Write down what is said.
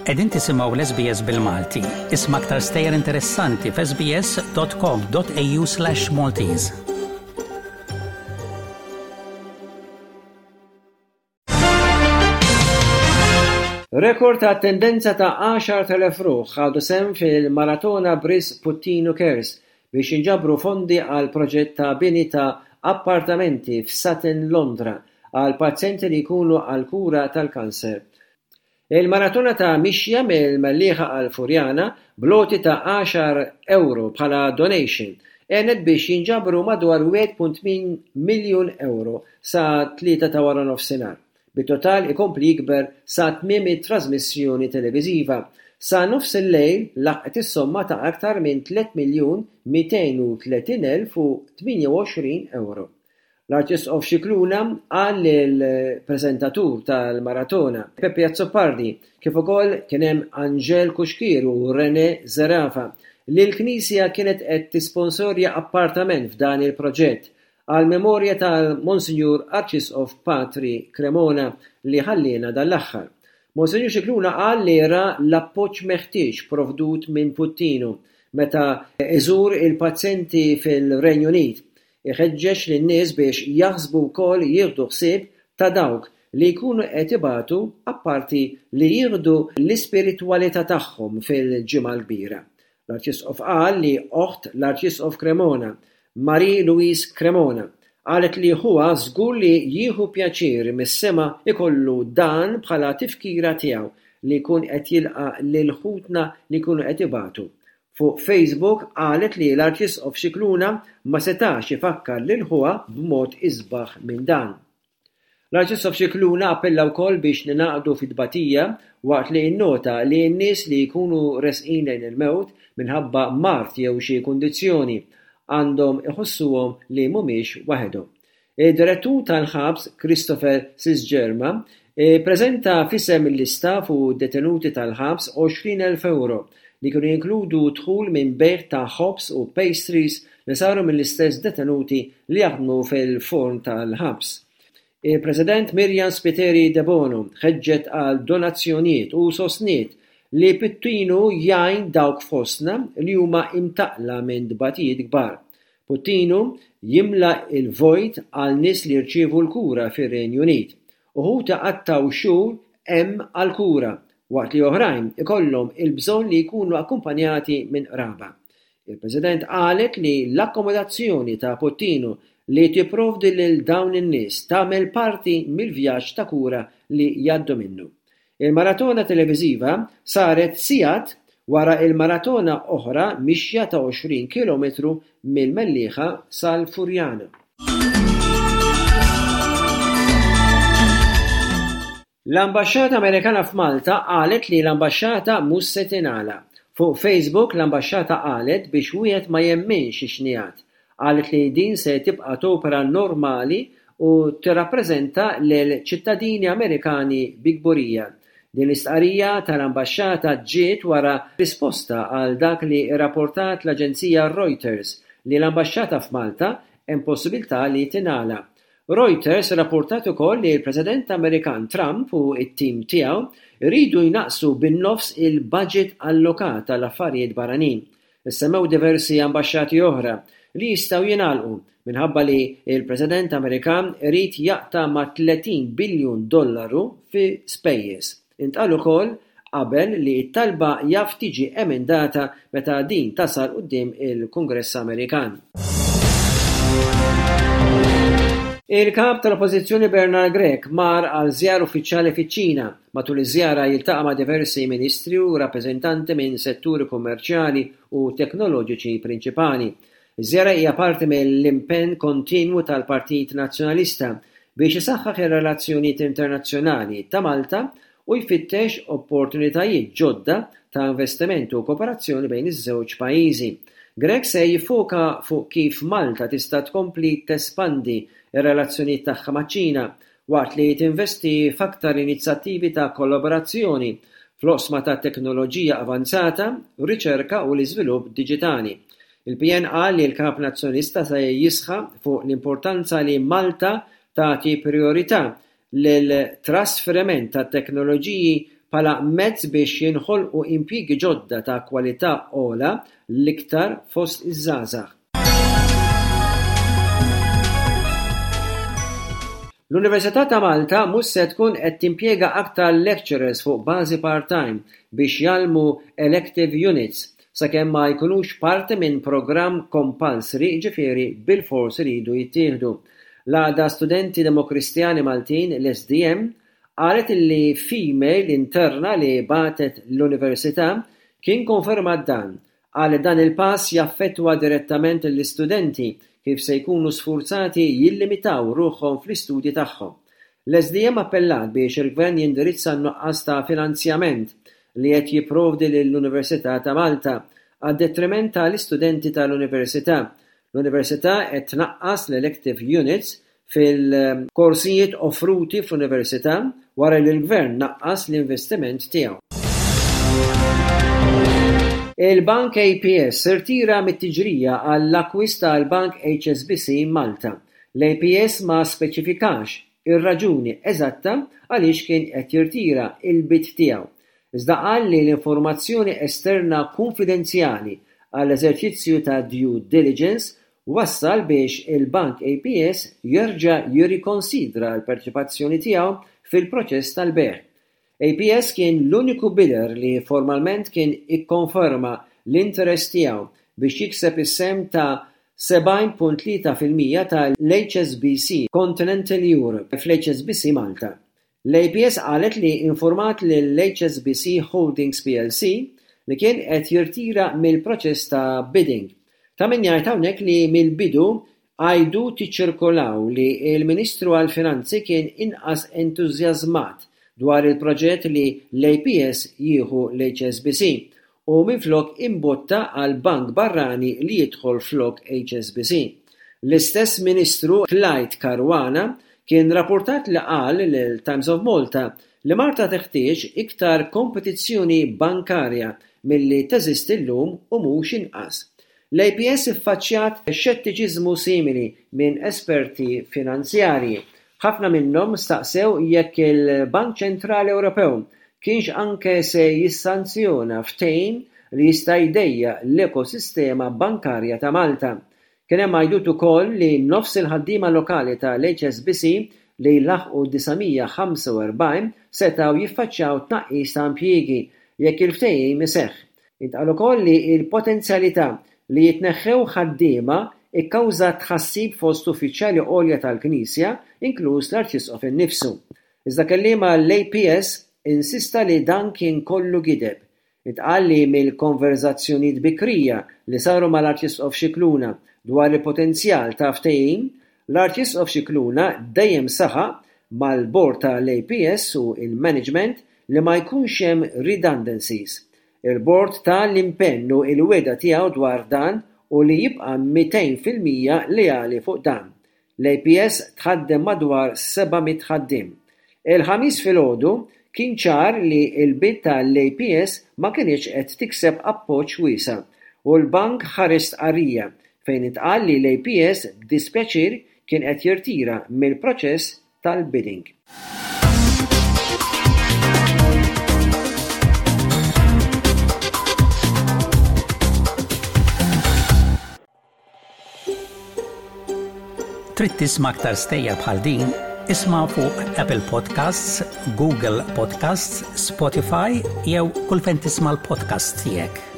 Qegħdin tisimgħu l-SBS bil-Malti. Isma' aktar stejjer interessanti f'sbs.com.au/maltese. Rekord ta' attendenza ta' 10,000 ruħ ħadu sehem fil-Maratona b'risq Puttinu Cares biex jinġabru fondi għal proġett ta' bini ta' appartamenti f'Sutton, Londra għal pazjenti li jkunu għall-kura tal-kanser. Il-maratona ta' mixja mill-Mellieħa għal Furjana bl-għoti ta' għaxar ewro bħala donation għenet biex jinġabru madwar 1.8 miljun ewro sa t-Tlieta ta' waranofsinhar, bit-total ikompli jikber sa tmiem it-trażmissjoni televiżiva. Sa nofsillejl laħqet is-somma ta' aktar minn 3,230,028 ewro. L-Arċisqof Scicluna qal lill-preżentatur tal-maratona, Peppi Azzopardi, kif ukoll kien hemm Angèle Cuschieri u Renè Zerafa, li l-Knisja kienet qed tisponsorja appartament f'dan il-proġett għall-memorja tal-Monsinjur Arċisqof Patri Cremona li ħalliena dan l-aħħar. Monsinjur Scicluna qal li ra l-appoġġ meħtieġ provdut minn Puttinu meta iżur il-pazjenti fil-Renju Unit Iħeġġeġ lin-nies biex jaħsbu wkoll jieħdu ħsieb ta' dawk li jkunu qed ibatu apparti li jieħdu l-ispiritwalità tagħhom fil-Ġimgħa l-Kbira. L-Arċisqof qal li oħt l-Arċisqof Cremona, Marie Louise Cremona, qalet li ħuha żgur li jieħu pjaċir mis-sema jkollu dan bħala tifkira tiegħu li jkun qed jilqa' lil ħutna li jkunu qed ibatu Fuq Facebook qalet li l-Arċisqof Scicluna ma setax ifakkar lil ħuha b'mod isbaħ minn dan. L-Arċisqof Scicluna appella wkoll biex ningħaqdu fit-tbatija waqt li innota li n-nies li jkunu resqin lejn il-mewt minħabba mard jew xi kundizzjoni għandhom iħossuhom li mhumiex waħedhom. Id-Direttur tal-Ħabs Christopher Sisgerma ppreżenta f'isem l-istaff u d-detenuti tal-ħabs 20,000 ewro li kienu jinkludu dħul minn bejgħ ta' ħobż u pastries li saru mill-istess detenuti li jaħdmu fil-forn tal-ħabs. Il-President Myriam Spiteri Debono ħeġġet għal donazzjonijiet u sostniet li Pittinu jgħin dawk fostna li huma imtaqqla minn tbatijiet kbar. Puttinu jimla l-vojt għal nies li jirċievu l-kura fir-Renju Unit. Uħud iqattgħu xhur hemm għall-kura, waqt li oħrajn ikollhom il-bżonn li jkunu akkumpanjati minn qraba. Il-President qalet li l-akkomodazzjoni ta' Puttinu li tipprovdi lil dawn in-nies tagħmel parti mill-vjaġġ ta' kura li jgħaddu minnu. Il-maratona televiżiva saret sigħat wara il-maratona oħra mixja ta' 20 kilometru mill-Mellieħa sal-Furjana. L-Ambaxxata Amerikana f'Malta qalet li l-ambaxxata mhux se tingħalaq. Fuq Facebook l-ambaxxata qalet biex wieħed ma jemminx ix-xnigħat. Qalet li din se tibqa' topera normali u tirrappreżenta lil ċittadini Amerikani bi kburija. Din l-istqarrija tal-ambaxxata ġiet wara risposta għal dak li rrapportat l-aġenzija Reuters li l-ambaxxata f'Malta hemm possibilità li tingħalaq. Reuters rrapportat ukoll li l-President Amerikan Trump u t-tim tiegħu jridu jnaqqsu bin-nofs il-baġit allokat għall-affarijiet barranin. Issemmew diversi ambaxxati oħra li jistgħu jingħalqu minħabba li l-President Amerikan irid jaqta' ma' 30 biljun dollaru fi spejjeż. Intqal ukoll qabel li t-talba jaf tiġi emendata meta din tasal quddiem il-Kungress Amerikan. Il-Kap tal-Oppożizzjoni Bernard Grech mar għal żjara uffiċjali fiċ-Ċina. Matul iż-żjara jiltaqa' ma' diversi ministri u rappreżentanti minn setturi kummerċjali u teknoloġiċi prinċipali. Iż-żjara hija parti mill-impenn kontinwu tal-Partit Nazzjonalista biex isaħħaħ ir-relazzjonijiet internazzjonali ta' Malta u jfittex opportunitajiet ġodda ta' investiment u kooperazzjoni bejn iż-żewġ pajjiżi. Grech se jiffoka fuq kif Malta tista' tkompli tespandi r-relazzjonijiet tagħha maċ-Ċina waqt li tinvesti f'aktar inizjattivi ta' kollaborazzjoni fl-oqsma tat-teknoloġija avanzata, riċerka u l-iżvilupp diġitali. Il-PN qal li l-Kap Nazzjonalista se jisħaq fuq l-importanza li Malta tagħti prijorità lil trasferiment ta' teknoloġiji bħala mezz biex jinħolqu impjiegi ġodda ta' kwalità ogħla l-iktar fost iż-żgħażagħ. L-Università ta' Malta mhux se tkun qed timpjega aktar lecturers fuq bażi part-time biex jgħallmu elective units sakemm ma jkunux parti minn programm compulsory jiġifieri bilfors iridu jittieħdu. L-Għaqda Studenti Demokristjani Maltin, l-SDM, qalet illi f'email interna li bagħtet l-Università kien konfermat dan Qal li dan il-pass jaffettwa direttament lill-istudenti kif se jkunu sfurzati jillimitaw ruħhom fl-istudji tagħhom. L-SDM appellat biex il-Gvern jindirizza n-nuqqas ta' finanzjament li qed jipprovdi lill-Università ta' Malta għad-detriment tal-istudenti tal-Università. L-Università qed tnaqqas l-elective units fil-korsijiet offruti fl-Università wara li l-Gvern naqqas l-investiment tiegħu. Il-Bank APS irtira mit-tiġrija għall-akkwist tal-Bank HSBC Malta. L-APS ma speċifikax ir-raġuni eżatta għaliex kien qed jirtira l-bid tiegħu, iżda qal li l-informazzjoni esterna kunfidenzjali għall-eżerċizzju ta' due diligence wassal biex il-Bank APS jerġa' jirrikonsidra l-parteċipazzjoni tiegħu fil-proċess tal-bejgħ. APS kien l-uniku bidder li formalment kien ikkonferma l-interess tiegħu biex jikseb is-sehem ta' 70.3% tal-HSBC Continental Europe fl-HSBC Malta. L-APS qalet li infurmat lill-HSBC Holdings plc li kien qed jirtira mill-proċess ta' bidding. Ta' min jgħid hawnhekk li mill-bidu għajdut iċċirkolaw li l-Ministru għall-Finanzi kien inqas entużjażmat dwar il-proġett li l-APS jieħu l-HSBC u minflok imbotta għal bank barrani li jidħol flok HSBC. L-istess Ministru Clyde Caruana kien rappurtat li qal lil Times of Malta li Malta teħtieġ iktar kompetizzjoni bankarja milli teżisti llum u mhux inqas. L-APS iffaċċjat xettiċiżmu simili minn esperti finanzjarji. Ħafna minnhom staqsew jekk il-Bank Ċentrali Ewropew kienx anke se jissanzjona ftehim li jista' jdejjaq l-ekosistema bankarja ta' Malta. Kien hemm għajdut ukoll li nofs il-ħaddiema lokali tal-HSBC li jlaħħqu 945 setgħu jiffaċċjaw tnaqqis ta' impjiegi jekk il-ftehim iseħħ. Intqal ukoll li l-potenzjalità li jitneħħew ħaddiema kkawżat tħassib fost uffiċjali għolja tal-Knisja, inkluż l-Arċisqof innifsu. Iżda kelliem għall-APS insista li dan kien kollu gideb. Intqal li mill-konverżazzjonijiet bikrija li saru mal-Arċisqof Scicluna dwar il-potenzjal ta' ftehim, l-Arċisqof Scicluna dejjem saħaq mal-Bord tal-APS u l-management li ma jkunx hemm redundancies. Il-Bord ta l-impenn u l-wegħda tiegħu dwar dan u li jibqa' 200% leali fuq dan. L-APS tħaddem madwar 700 ħaddiem. Il-Ħamis filgħodu kien ċar li l-bid tal-APS ma kinitx qed tikseb appoġġ wiesa' u l-bank ħareġ stqarrija fejn intqal li l-APS b'dispjaċir kien qed jirtira mill-proċess tal-bidding. Trid tisma' aktar stejjer bħal din? Isma' fuq Apple Podcasts, Google Podcasts, Spotify jew kull fejn tisma' l-podcasts tiegħek.